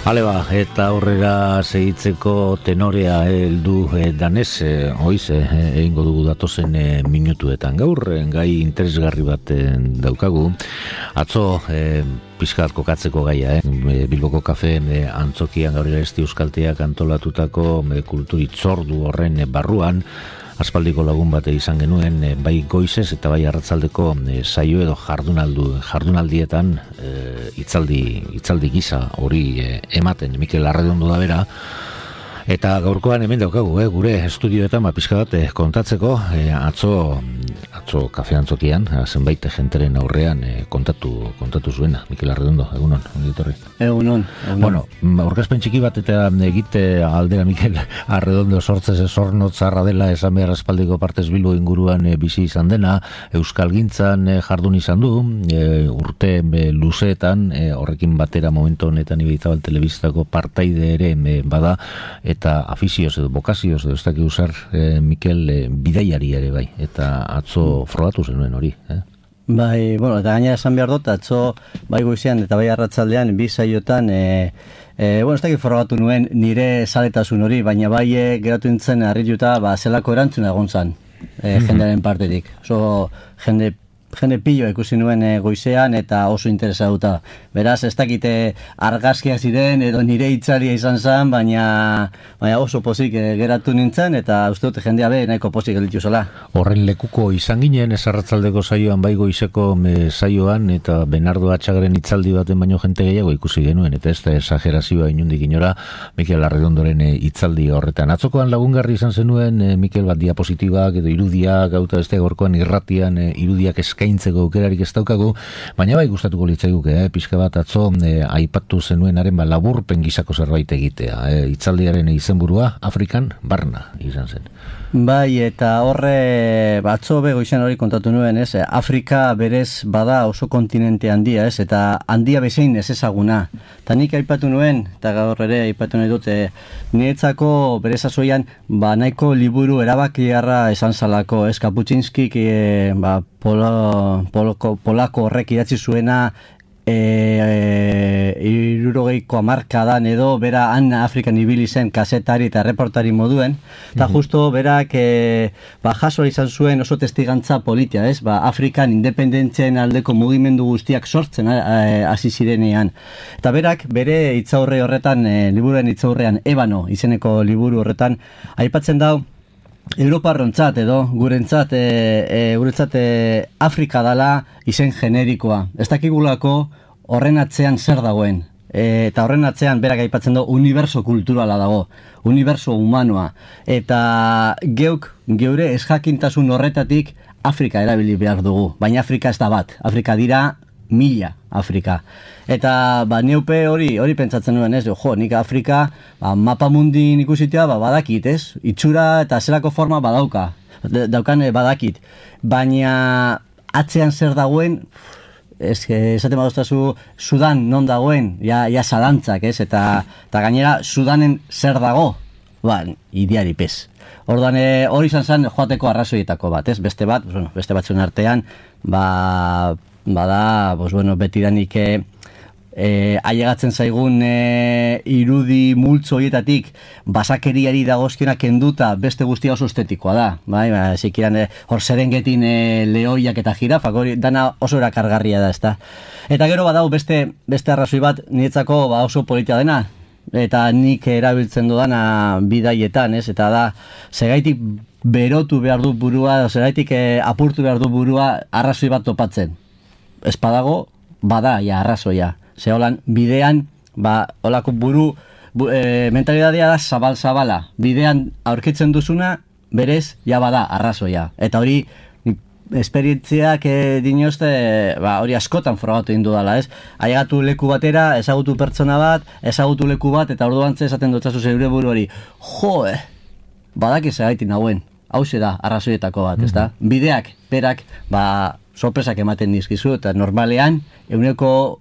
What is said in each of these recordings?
Hale ba, eta aurrera segitzeko tenorea heldu danez, hoize, egingo dugu datozen minutuetan. Gaur, gai interesgarri bat daukagu. Atzo, pixkat kokatzeko gaia, Bilboko kafeen antzokian gaur esti euskalteak antolatutako kulturitzordu horren barruan, aspaldiko lagun bate izan genuen, bai goizez eta bai arratzaldeko saio edo jardunaldietan hitzaldi gisa hori ematen Mikel Arredondo da bera. Eta gaurkoan hemen daukagu, gure estudioetan pixka bat kontatzeko, atzo kafe antzokian, zenbait jenteren aurrean kontatu zuena. Mikel Arredondo, egunon, ongitorri. Egunon. Bueno, aurkezpen txiki bat eta egite aldera Mikel Arredondo sortzez zornotzarra dela esan behar aspaldiko partez Bilbo inguruan bizi izan dena, euskalgintzan jardun izan du, urte luzeetan, horrekin batera momentu honetan Ibaizabal telebistako partaide ere bada, eta afizioz edo bokazioz edo ez dakik usar Mikel bidaiari ere bai, eta atzo frogatu zenuen hori. Bai, bueno, eta gainera esan behar dut, atzo bai goizean eta bai arratsaldean bi saiotan, bueno, ez dakik frogatu nuen nire zaletasun hori, baina bai geratu nintzen harrituta zelako erantzuna egon zan jendearen partetik. Oso jende pillo ikusi nuen goizean eta oso interesatuta. Beraz, ez dakite argazkiak ziren edo nire hitzaria izan zen, baina oso pozik geratu nintzen eta uste dut jendea nahiko pozik gelditu zela. Horren lekuko izan ginen, ez arratzaldeko saioan, bai goizeko saioan, eta Bernardo Atxagren hitzaldi baten baino jente gehiago ikusi genuen, eta ez da esagerazioa inundik inora Mikel Arredondoren hitzaldi horretan. Atzokoan lagungarri izan zenuen, Mikel, bat diapositibak edo irudiak, gauta ez da gorkoan irratian irudiak eskaintzeko aukerarik ez daukagu, baina bai gustatuko litzaiguke, pixka bat atzo aipatu zenuenaren laburpen gisako zerbait egitea. Hitzaldiaren izenburua Afrikan barna izan zen. Bai, eta horre atzo goizean hori kontatu nuen, Afrika berez bada oso kontinente handia, eta handia bezein ez ezaguna. Eta nik aipatu nuen, eta gaur ere aipatu nahi dut, niretzako berez azoian nahiko liburu erabakiarra esan zalako, Kaputxinskik polako horrek idatzi zuena 60ko hamarkadan edo bera Afrikan ibili zen kazetari eta reportari moduen, eta justo berak jaso izan zuen oso testigantza politia, Afrikan independentzien aldeko mugimendu guztiak sortzen hasi zirenean. Eta berak bere hitzaurre horretan, liburuen hitzaurrean Ebano izeneko liburu horretan aipatzen dau Europarrontzat edo gurentzat Afrika dala izen generikoa. Ez dakigulako horren atzean zer dagoen. Eta horren atzean berak aipatzen du uniberso kulturala dago, uniberso humanoa. Eta geure ezjakintasun horretatik Afrika erabili behar dugu. Baina Afrika ez da bat. Afrika dira 1000 Afrika. Eta neupe hori pentsatzen nuen, nik Afrika mapamundin ikusitea badakit, itxura eta zelako forma daukan badakit. Baina atzean zer dagoen, esaten badoztazu Sudan non dagoen, ja zalantzak, eta gainera Sudanen zer dago, ideari pez. Orduan hori izan zen joateko arrazoietako bat, beste batzuen artean, bada, betidanik ailegatzen zaigun irudi multzo horietatik basakeriari dagozkionak kenduta beste guztia oso estetikoa da. Zikiran hor Serengetin lehoiak eta jirafak, hori dana oso erakargarria da, ezta. Eta gero badau beste arrazoi bat niretzako oso politia dena, eta nik erabiltzen dudana bidaietan, eta da, segaitik berotu behar du burua, segaitik apurtu behar du burua arrazoi bat topatzen. Espadago, bada, arrazoia. Ze holan, bidean, holako mentalidadea da zabal-zabala. Bidean aurkitzen duzuna, berez, bada, arrazoia. Eta hori, esperientziak dinozte, hori askotan frogatu egin dudala, Ailegatu leku batera, ezagutu pertsona bat, ezagutu leku bat, eta orduan esaten dutzazu zeure buru hori, badak ezagaitin nagoen, hauxe da, arrazoietako bat, ezta? Bideak, berak, sorpresak ematen dizkizu, eta normalean, 95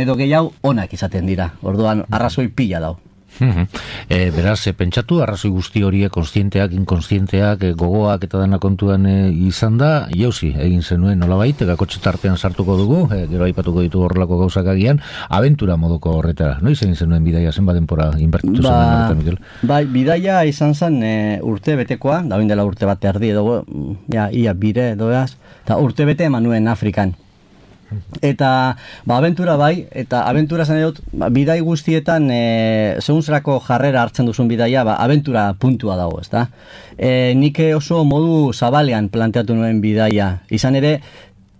edo gehiago onak izaten dira. Orduan, arrazoi pila dau. Beraz, pentsatu, arrazoi guzti horiek konstienteak, inkonstienteak, gogoak eta dena kontuan izan da, jauzi, egin zenuen nolabait, gakotxe tartean sartuko dugu, gero aipatuko ditu horrelako gauzak agian, abentura moduko horretara. Noiz egin zenuen bidaia, zenba denpora inbertitu zenuen horretan, Mikel? Bai, bidaia izan zen urte betekoa, da dela urte bat erdi edo, ia bire edoaz, eta urte bete eman nuen Afrikan. Eta abentura bai, eta abentura zen dut, bidai guztietan segun zerako jarrera hartzen duzun bidaia, abentura puntua dago, ezta? Nik oso modu zabalean planteatu nuen bidaia. Izan ere,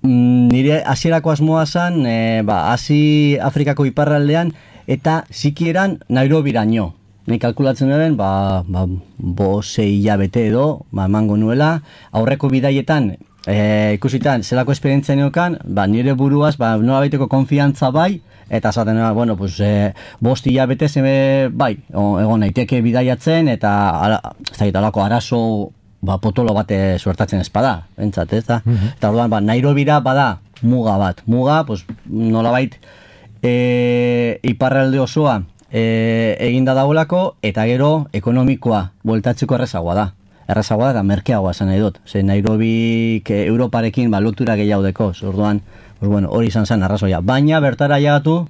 nire hasierako asmoa zen, hasi Afrikako iparraldean, eta zikieran Nairobiraino. Nik kalkulatzen nuen, 5-6 hilabete edo, emango nuela, aurreko bidaietan, ikusitan, zelako esperientzia neokan, nire buruaz, nola baiteko konfiantza bai, eta esaten, 5 hilabete bai, egon naiteke bidaiatzen, eta alako arazo potolo bate suertatzen espada, entzat, ez da? Eta orduan, Nairobira bada muga bat. Muga, nola bait, iparralde osoa eginda dagoelako, eta gero ekonomikoa bueltatzeko errezagoa da. Errazagoa da merkeagoa esan nahi dut. Nairobik Europarekin lotura gehiago deko. Orduan, hori izan zen arrazoia. Baina bertara ailegatu,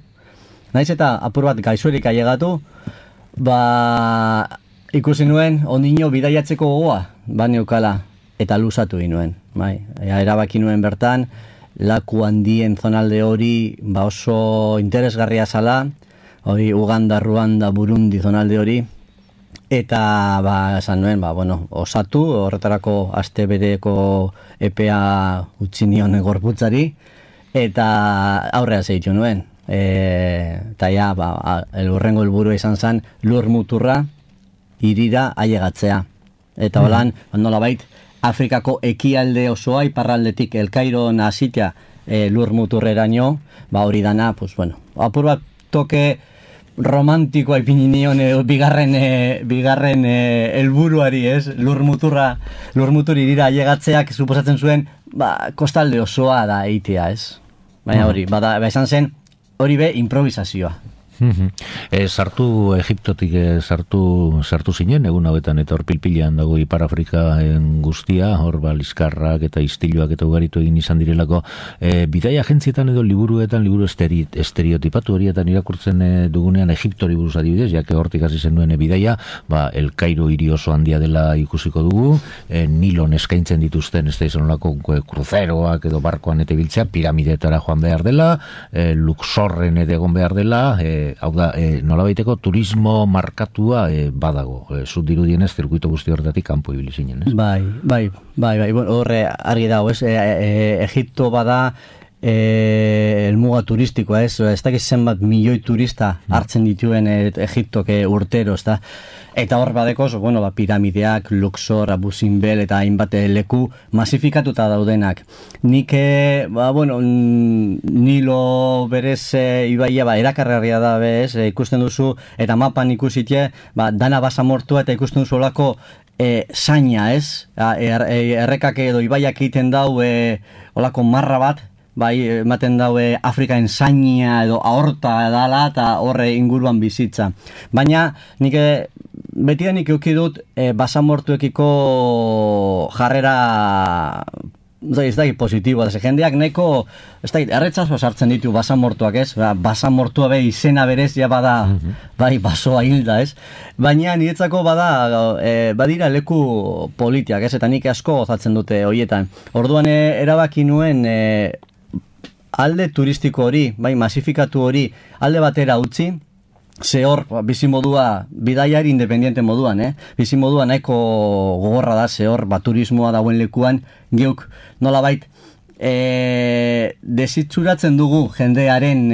naiz eta apur bat gaixorik ailegatu, ikusi nuen ondino bidaiatzeko gogoa, neukala, eta luzatu inuen. Erabaki nuen bertan, laku handien zonalde hori oso interesgarria zala, hori Uganda, Ruanda, Burundi zonalde hori, eta esan nuen, osatu, horretarako aste bereko epea utzi nion gorputzari, eta aurrea zeitu nuen. Eta elurrengo helburua izan zen lur muturra hirira ailegatzea. Eta holan, nolabait, Afrikako ekialde osoa, iparraldetik El Kairon hasitea lur muturreraino, hori dana, apur bat toke romantikoa ipini nion bigarren helburuari, ez? Lur mutur irira ailegatzeak suposatzen zuen, kostalde osoa da eitea, ez? Baina hori, izan zen, hori be improvisazioa. Sartu Egiptotik sartu zinen, egun hauetan eta hor pilpilean dago Ipar Afrika guztia, hor liskarrak eta istiluak eta ugaritu egin izan direlako. Bidai agentzietan edo liburuetan, liburu estereotipatu horietan irakurtzen dugunean Egiptori buruz adibidez, jake hortik hasi zenuen bidaia, El Kairo hiri oso handia dela ikusiko dugu, Nilon eskaintzen dituzten, ez da izan olako kruzeroak edo barkoan eta biltzea, piramidetara joan behar dela, Luxorren egon behar dela, hau da, nolabaiteko turismo markatua badago. Zut dirudienez, zirkuito guzti horretatik kanpo ibili zinen, ez? Bai, horre argi dago, ez? Egipto bada elmuga turistikoa, ez? Ez dakiz zenbat milioi turista hartzen dituen Egiptoke urtero, ez da? Eta hor badeko, piramideak, Luxor, Abu Simbel eta hainbat leku masifikatuta daudenak. Nik, Nilo berez ibaia, erakargarria da bez, ikusten duzu, eta mapan ikusitie, dana basamortua eta ikusten duzu olako zaina, ez? Errekak edo ibaiak egiten dau olako marra bat, ematen daue Afrikaen zainia edo ahorta edala eta horre inguruan bizitza. Baina nik betidanik euki dut basamortuekiko jarrera ez da positiboa, jendeak neko erretzazo sartzen ditu basamortuak, ez? Basamortua izena berez ja bada basoa hilda, ez? Baina niretzako badira leku politiak, ez? Eta nik asko gozatzen dute hoietan. Orduan erabaki nuen alde turistiko hori, masifikatu hori, alde batera utzi, ze hor, bizimodua, bidaiari independiente moduan, bizimodua nahiko gogorra da, ze hor, turismoa dauen lekuan, geuk nolabait, desitzuratzen dugu jendearen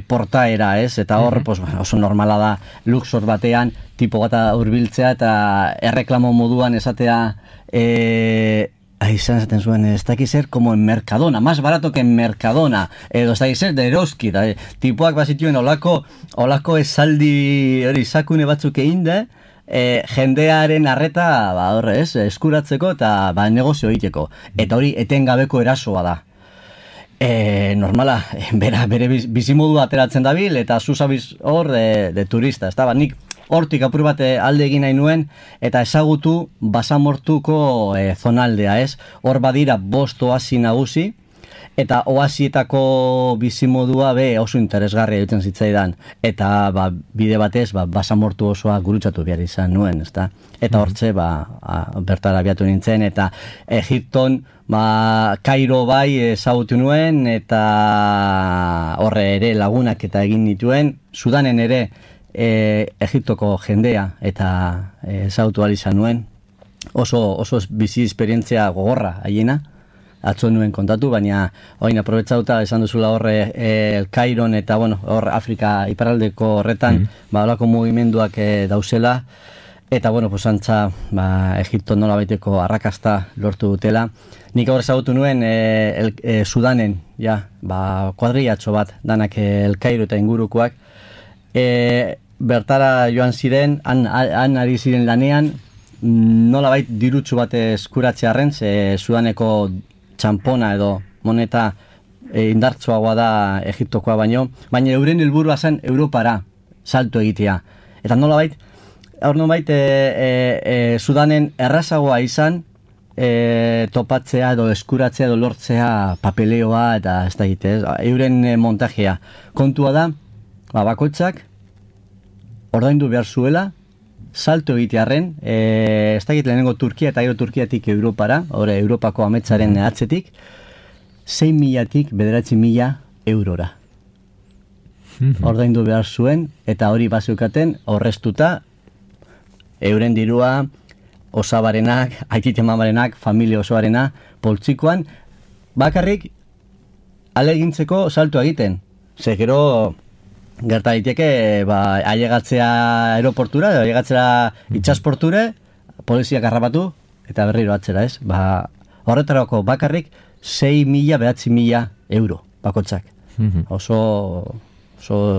portaera, ez? Eta hor, oso normala da, Luxor batean, tipo gata hurbiltzea eta erreklamo moduan esatea, izan zaten zuen, ez dakiz ser como en Mercadona, más barato que en Mercadona, edo ez dakiz ser de Eroski, tipuak bazituen olako esaldi hori sakune batzuk egin jendearen arreta eskuratzeko eta negozio egiteko, eta hori etengabeko erasoa da. Normala, bere bizimodu ateratzen dabil eta zuzabiz hor de turista, ez da, nik hortik apur bat alde egin nahi nuen, eta ezagutu basamortuko zonaldea, ez? Hor badira 5 oasi nagusi, eta oasietako bizimodua oso interesgarria egiten zitzaidan, eta bide batez basamortu osoa gurutzatu behar izan nuen, ezta? Eta hortze bertara abiatu nintzen, eta Egipton Kairo bai ezagutu nuen, eta horre ere lagunak eta egin nituen, Sudanen ere Egiptoko jendea eta ezagutu ahal izan nuen, oso bizi esperientzia gogorra haiena, atzo nuen kontatu, baina oin aprobetsauta esan duzula horre El Cairon eta hor Afrika iparraldeko horretan holako mugimenduak dauzela, eta antza Egipto nola baiteko arrakasta lortu dutela. Nik hor ezagutu nuen Sudanen kuadrillatxo bat danak El Cairo eta ingurukoak, bertara joan ziren, han ari ziren lanean, nola bait dirutsu bat eskuratzearren, Sudaneko txampona edo moneta indartsuagoa da Egiptokoa baina euren helburua zen Europara salto egitea. Eta nolabait Sudanen errazagoa izan topatzea edo eskuratzea edo lortzea papeleoa eta ez da egite, euren montajea. Kontua da, bakoitzak ordaindu behar zuela, salto egitearren, ez da egite lehenengo Turkia eta gero Turkiatik Europara, Europako ametzaren atzetik, 6.000-tik 9.000 eurora. Ordaindu behar zuen, eta hori bazeukaten horreztuta, euren dirua, osabarenak, aitite-mamarenak, familia osoarena, poltsikoan, bakarrik alegintzeko salto egiten. Ze gero gerta daiteke ailegatzea aeroportura, ailegatzea itxasporture, poliziak harrapatu eta berriro atzera, ez? Horretarako bakarrik 6.000-9.000 euro bakotzak. Oso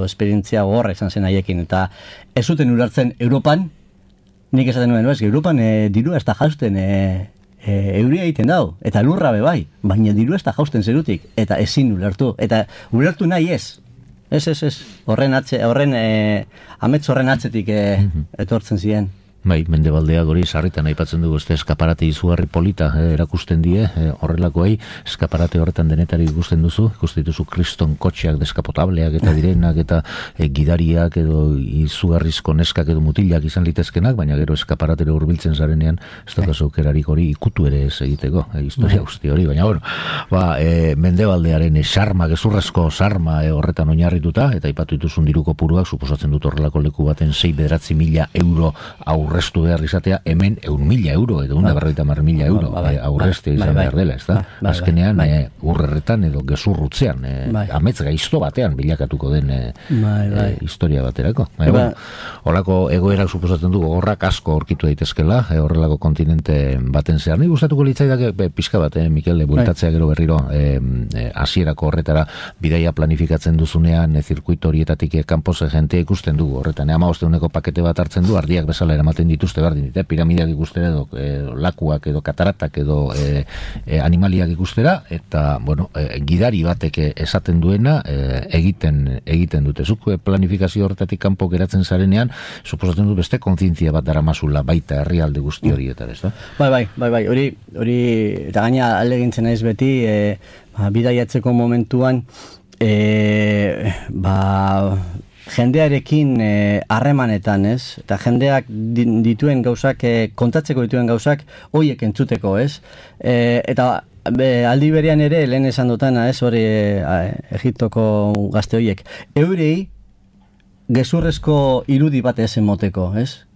esperientzia gogorra izan zen haiekin, eta ez zuten ulertzen Europan, nik esaten nuen, Europan diru ez da jausten euria egiten dau, eta lurra bai, baina diru ez da jausten zerutik, eta ezin ulertu, eta ulertu nahi ez. Ez, amets horren atzetik etortzen ziren. Bai, Mendebaldeak hori sarritan aipatzen dugu, eskaparate izugarri polita erakusten die, horrelakoei, eskaparate horretan denetari ikusten dituzu kriston kotxeak deskapotableak eta direnak eta gidariak edo izugarrizko neskak edo mutilak izan litezkenak, baina gero eskaparatere hurbiltzen zarenean, ez daukazu aukerarik hori ikutu ere ez egiteko, historia guzti hori, baina Mendebaldearen sarma, gezurrezko sarma horretan oinarrituta, eta aipatu dituzun diru kopuruak, suposatzen dut horrelako leku baten 6.000-9.000 euro aurreztu behar izatea, hemen 1.000 euro edo 150.000 euro aurreztea izan behar dela, ez da? Azkenean, urrerretan edo gezurrutzean, amets gaizto batean bilakatuko den historia baterako. Horrelako egoerak suposatzen du gogorrak asko aurkitu daitezkela, horrelako kontinente baten zehar. Ni gustatuko litzaidak pixka bat, Mikel, bueltatzea gero berriro hasierako horretara bidaia planifikatzen duzunean, zirkuito horietatik kanpoze jentea ikusten dugu horretan. 15 pakete bat hartzen du, ardiak bezala eramaten dituzte berdin, piramideak ikustera edo lakuak edo kataratak edo animaliak ikustera, eta gidari batek esaten duena egiten dute. Zuk planifikazio horretatik kanpo geratzen zarenean, suposatzen du beste kontzientzia bat daramazula baita herrialde guzti horietan, ez da? Bai, hori eta gaina aldegintzen naiz beti, bidaiatzeko momentuan jendearekin harremanetan, ez? Eta jendeak dituen gauzak, kontatzeko dituen gauzak, hoiek entzuteko, ez? Eta aldi berean ere, lehen esan dutana, ez? Hori Egiptoko gazte hoiek. Eurei, gezurrezko irudi bat ez emoteko, ez?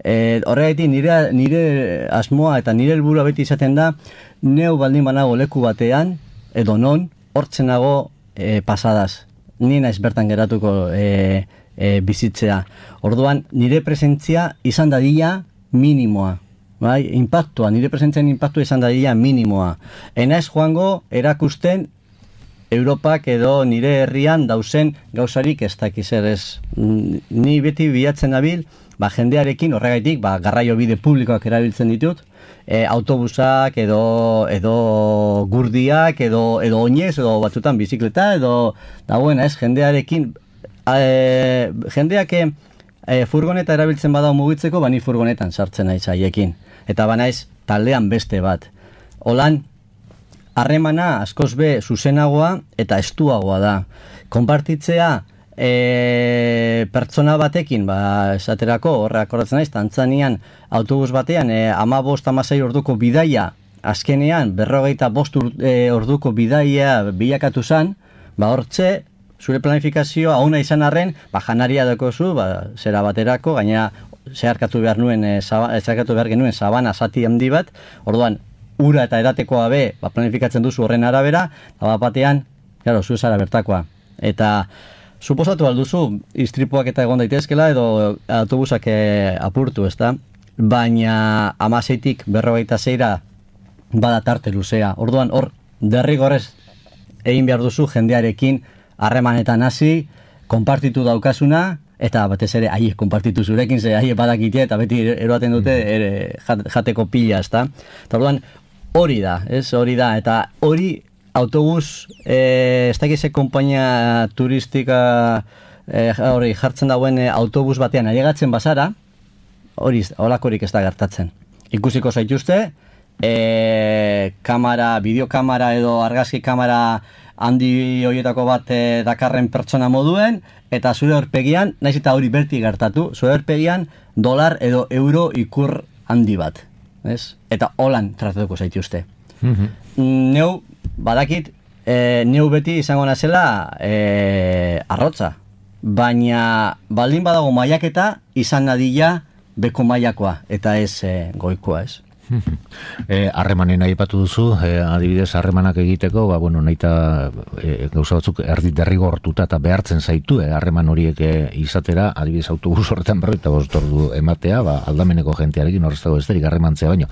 Horregatik nire asmoa eta nire helburua beti izaten da, neu baldin banago leku batean, edo non, hortzenago pasadaz. Ni naiz bertan geratuko bizitzea. Orduan, nire presentzia izan dadila minimoa. Bai? Nire presentzian impactua izan dadila minimoa. Enaiz joango erakusten Europak edo nire herrian dauzen gauzarik ez dakiz ez. Ni beti bilatzen nabil, jendearekin horregaitik, garraio bide publikoak erabiltzen ditut, autobusak edo gurdiak edo oinez edo batzutan bizikleta edo jendearekin jendeak furgoneta erabiltzen badau mugitzeko, bani furgonetan sartzen naiz haiekin. Eta banaiz taldean beste bat. Holan, harremana askoz be zuzenagoa eta estuagoa da. Konpartitzea pertsona batekin, esaterako, horrek horretzen naiz, Tantzanian autobus batean 15-16 orduko bidaia, azkenean 45 orduko bidaia bilakatu zen, hortze, zure planifikazioa hauna izan arren, janaria dakozu, zera baterako, gainera zeharkatu behar genuen sabana zati handi bat, orduan, ura eta eratekoa be, planifikatzen duzu horren arabera, eta batean, zu zara bertakoa. Eta, suposatu alduzu, istripuak eta egon daitezkela, edo autobusak apurtu, ezta? Baina, 16-tik 46-ra bada tarte luzea. Orduan, hor, derrigorrez egin behar duzu jendearekin harremanetan hasi, konpartitu daukasuna, eta batez ere, konpartitu zurekin, ze badakite, eta beti eroaten dute jateko pila, ezta? Eta orduan, hori da, eta hori autobus, ez dakize kompainia turistika hori jartzen dauen autobus batean ailegatzen bazara, hori holakorik ez da gertatzen. Ikusiko zaituzte, bideokamera edo argazki kamera handi horietako bat dakarren pertsona moduen, eta zure aurpegian, naiz eta hori berti gertatu, zure aurpegian dolar edo euro ikur handi bat. Eta holan tratatuko zaituzte. Neu, badakit, neu beti izango nazela arrotza. Baina baldin badago mailaketa izan nadila beko mailakoa, eta ez goikoa, ez? Harremanen aipatu duzu, adibidez harremanak egiteko, nahita gauza batzuk derrigortuta eta behartzen zaitu, harreman horiek izatera, adibidez autobus horretan 45 ordu ematea, aldameneko jentearekin horreztago esterik harremantzea baino.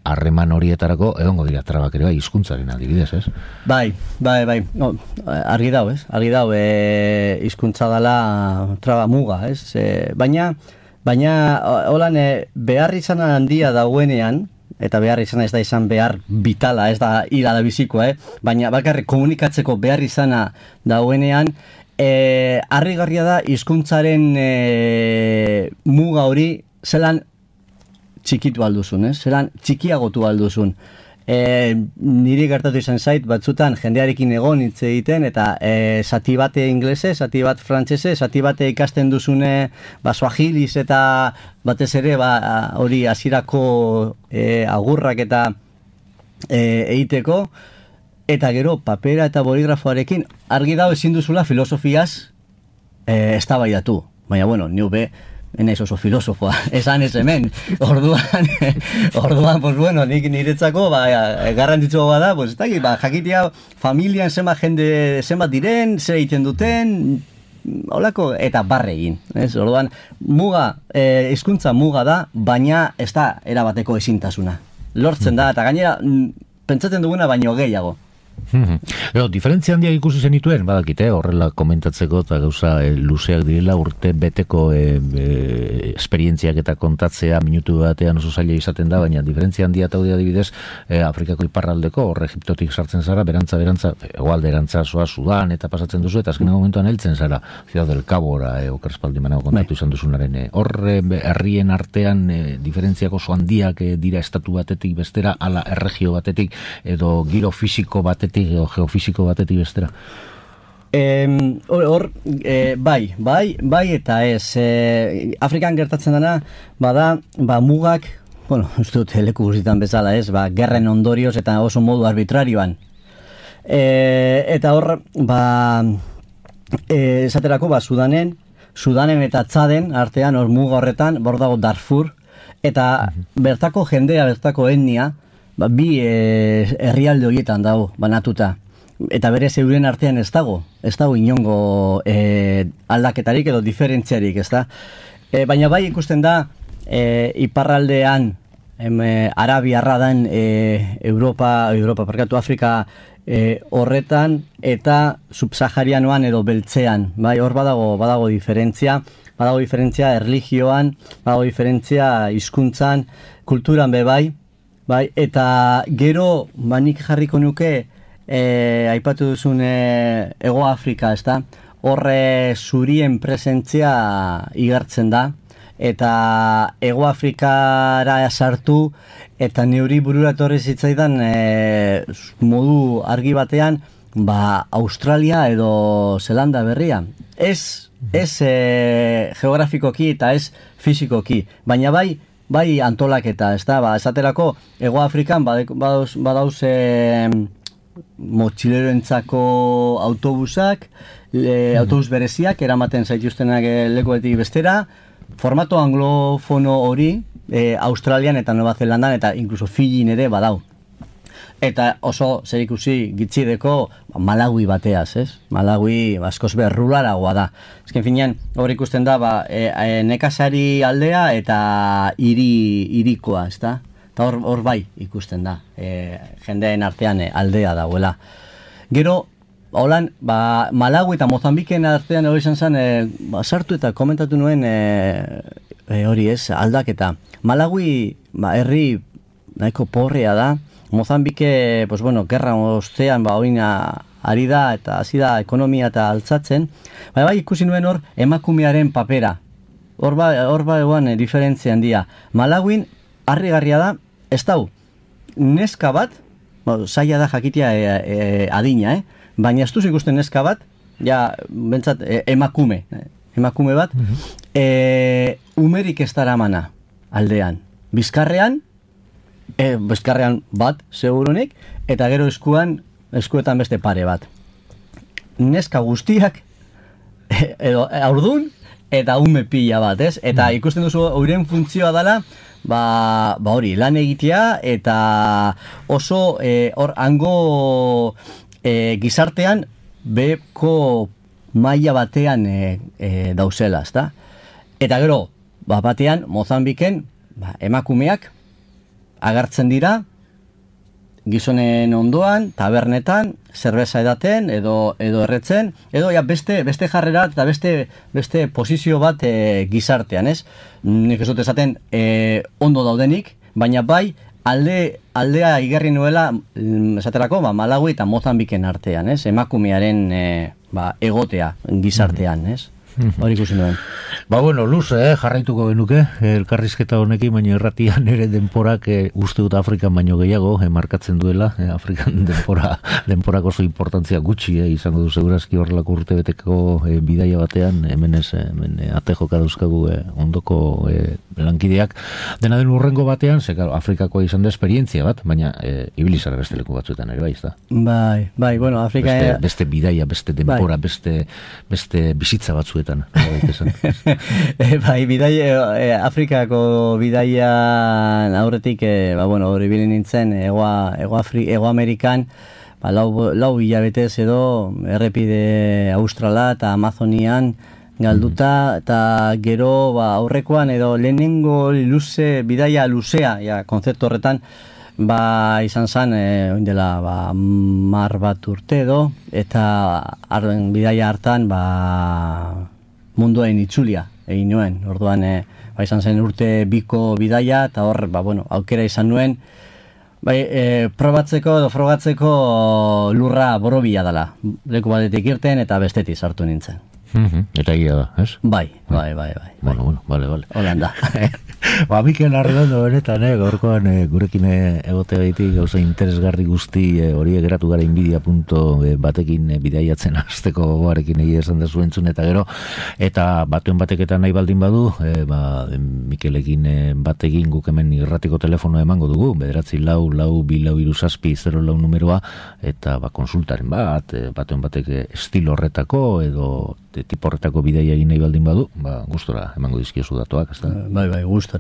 Harreman horietarako egongo dira trabak ere, hizkuntzaren adibidez, ez? Bai. Argi dau, ez? Argi dau, hizkuntza dela traba muga, ez? Baina, holan, behar izan handia dauenean, eta behar izan ez da izan behar vitala, ez da hila da bizikoa, baina bakarrik komunikatzeko behar izana dauenean, harrigarria da hizkuntzaren muga hori zelan txikitu alduzun, zelan txikiagotu alduzun. Niri gertatu izan zait, batzutan jendearekin egon hitz egiten, eta zati bate inglese, zati bat frantsese, zati bate ikasten duzune swahiliz eta batez ere hori hasierako agurrak eta egiteko, eta gero papera eta boligrafoarekin argi dago ezin duzula filosofiaz eztabaidatu. Baina, niu be, enaiz oso filosofoa, esan ez hemen. Orduan, nik niretzako, garrantzitsua bada, ez dakit, jakitea familian zenbat diren, zer egiten duten, holako, eta barre egin. Orduan, hizkuntza muga da, baina ez da erabateko ezintasuna. Lortzen da, eta gainera, pentsatzen duguna baino gehiago. Diferentzia handia ikusi zenituen, badakite, horrela komentatzeko eta gauza luzeak direla urte beteko esperientziak eta kontatzea minutu batean oso zaila izaten da, baina diferentzia handia eta adibidez Afrikako iparraldeko, hor Egiptotik sartzen zara, berantza, egualde erantza zoa Sudan eta pasatzen duzu, eta azkenean momentuan heltzen zara Ciudad del Cabora, okerspaldi manago kontatu izan duzunaren, horre herrien artean diferentziako oso handiak dira estatu batetik bestera, ala erregio batetik, edo giro fisiko batetik edo geofisiko batetik bestera? Bai eta ez. Afrikan gertatzen dena, mugak, ez dut leku guztietan bezala ez, gerren ondorioz eta oso modu arbitrarioan. Eta hor, esaterako, Sudanen eta Txaden artean, hor muga horretan, hor dago Darfur, eta bertako jendea, bertako etnia, bi herrialde horietan dago, banatuta. Eta bere euren artean ez dago inongo aldaketarik edo diferentziarik, ez da? Baina bai ikusten da, iparraldean, Arabiarra den Afrika horretan, eta subsaharianoan edo beltzean, bai, hor badago diferentzia, erlijioan, badago diferentzia hizkuntzan, kulturan bai, eta gero, nik jarriko nuke, aipatu duzun Ego Afrika, ez da? horre zurien presentzia igartzen da, eta Hego Afrikara sartu, eta neuri burura etorri zitzaidan modu argi batean, Australia edo Zelanda berria. Ez geografikoki eta ez fizikoki, baina bai antolaketa, ez da, esaterako Hego Afrikan badauz motxileroentzako autobusak, autobus bereziak, eramaten zaituztenak lekuetik bestera, formato anglofono hori, Australian eta Nueva Zelandan eta inkluso Fijin ere badau. Eta oso zerikusi gitxideko Malawi bateaz, ez? Malawi askoz berrularagoa da. Ezken finean, hor ikusten da, nekazari aldea eta irikoa, ez da? Eta hor bai ikusten da, jendeen artean aldea dauela. Gero, holan, Malawi eta Mozambiken artean hori izan zen, sartu eta komentatu nuen hori ez, aldaketa. Malawi, herri nahiko porrea da, Mozambike, gerra ostean, oina ari da, eta hasi da ekonomia eta altzatzen, bai ikusi nuen hor, emakumearen papera. Hor eguan diferentzia handia. Malawin, harrigarria da, ez dau, neska bat, zaila da jakitea adina, baina ez duz ikusten neska bat, ja, bentsat, emakume bat, umerik ez daramana aldean. Bizkarrean bat, segurunik, eta gero eskuetan beste pare bat. Neska guztiak, edo aurdun, eta ume pila bat, ez? Eta ikusten duzu, euren funtzioa dela, hori, lan egitea, eta oso, hango gizartean, beko maila batean dauzela, ezta? Eta gero, batean, Mozambiken, emakumeak, agartzen dira, gizonen ondoan, tabernetan, zerbeza edaten, edo erretzen, edo beste jarrera eta beste posizio bat gizartean, ez? Nik ez dut esaten ondo daudenik, baina bai aldea igarri nuela, esaterako, Malawi eta Mozambiken artean, ez? Emakumearen egotea gizartean, ez? Hori ikusi nuen. Luze, jarraituko genuke, elkarrizketa honekin, baina erratian ere denporak uste dut Afrikan baino gehiago, markatzen duela, Afrikan denporak oso importantzia gutxi, izango du segurazki horrelako urtebeteko bidaia batean, hemen atejoka dauzkagu ondoko lankideak, dena den urrengo batean, Afrikakoa izan da esperientzia bat, baina ibilizara beste leku batzuetan ere, bai, ez da? Bai, Afrika... Beste bidaia, beste denpora, beste bizitza batzuetan. Afrikako bidaian aurretik, hori bilin nintzen, Ego Amerikan, lau hilabetez edo, errepide Australa eta Amazonian galduta, eta gero aurrekoan edo lehenengo bidaia luzea, konzeptu horretan, izan zen, oindela, mar bat urte edo, eta bidaia hartan, munduain itzulia egin nuen. Orduan, izan zen urte biko bidaia, eta hor, aukera izan nuen, probatzeko edo frogatzeko lurra borobila dela. Leku batetik irten eta bestetik sartu nintzen. Eta egia da, ez? Bai. Bueno, bale. Holanda. Mikel Arredondo benetan, gaurkoan gurekin egote gaitik gauza interesgarri guzti horiek geratu gara inbidia.batekin bidaiatzen hasteko gogoarekin egia esan da zuentzun eta gero, eta batuen bateketan nahi baldin badu, Mikelekin batekin guk hemen irratiko telefonoa emango dugu, 94423 numeroa, eta konsultaren batuen batek estilo horretako edo tipo horretako bidaia egin nahi baldin badu, gustora emango dizkiozu datuak, ez da? Bai, gustora.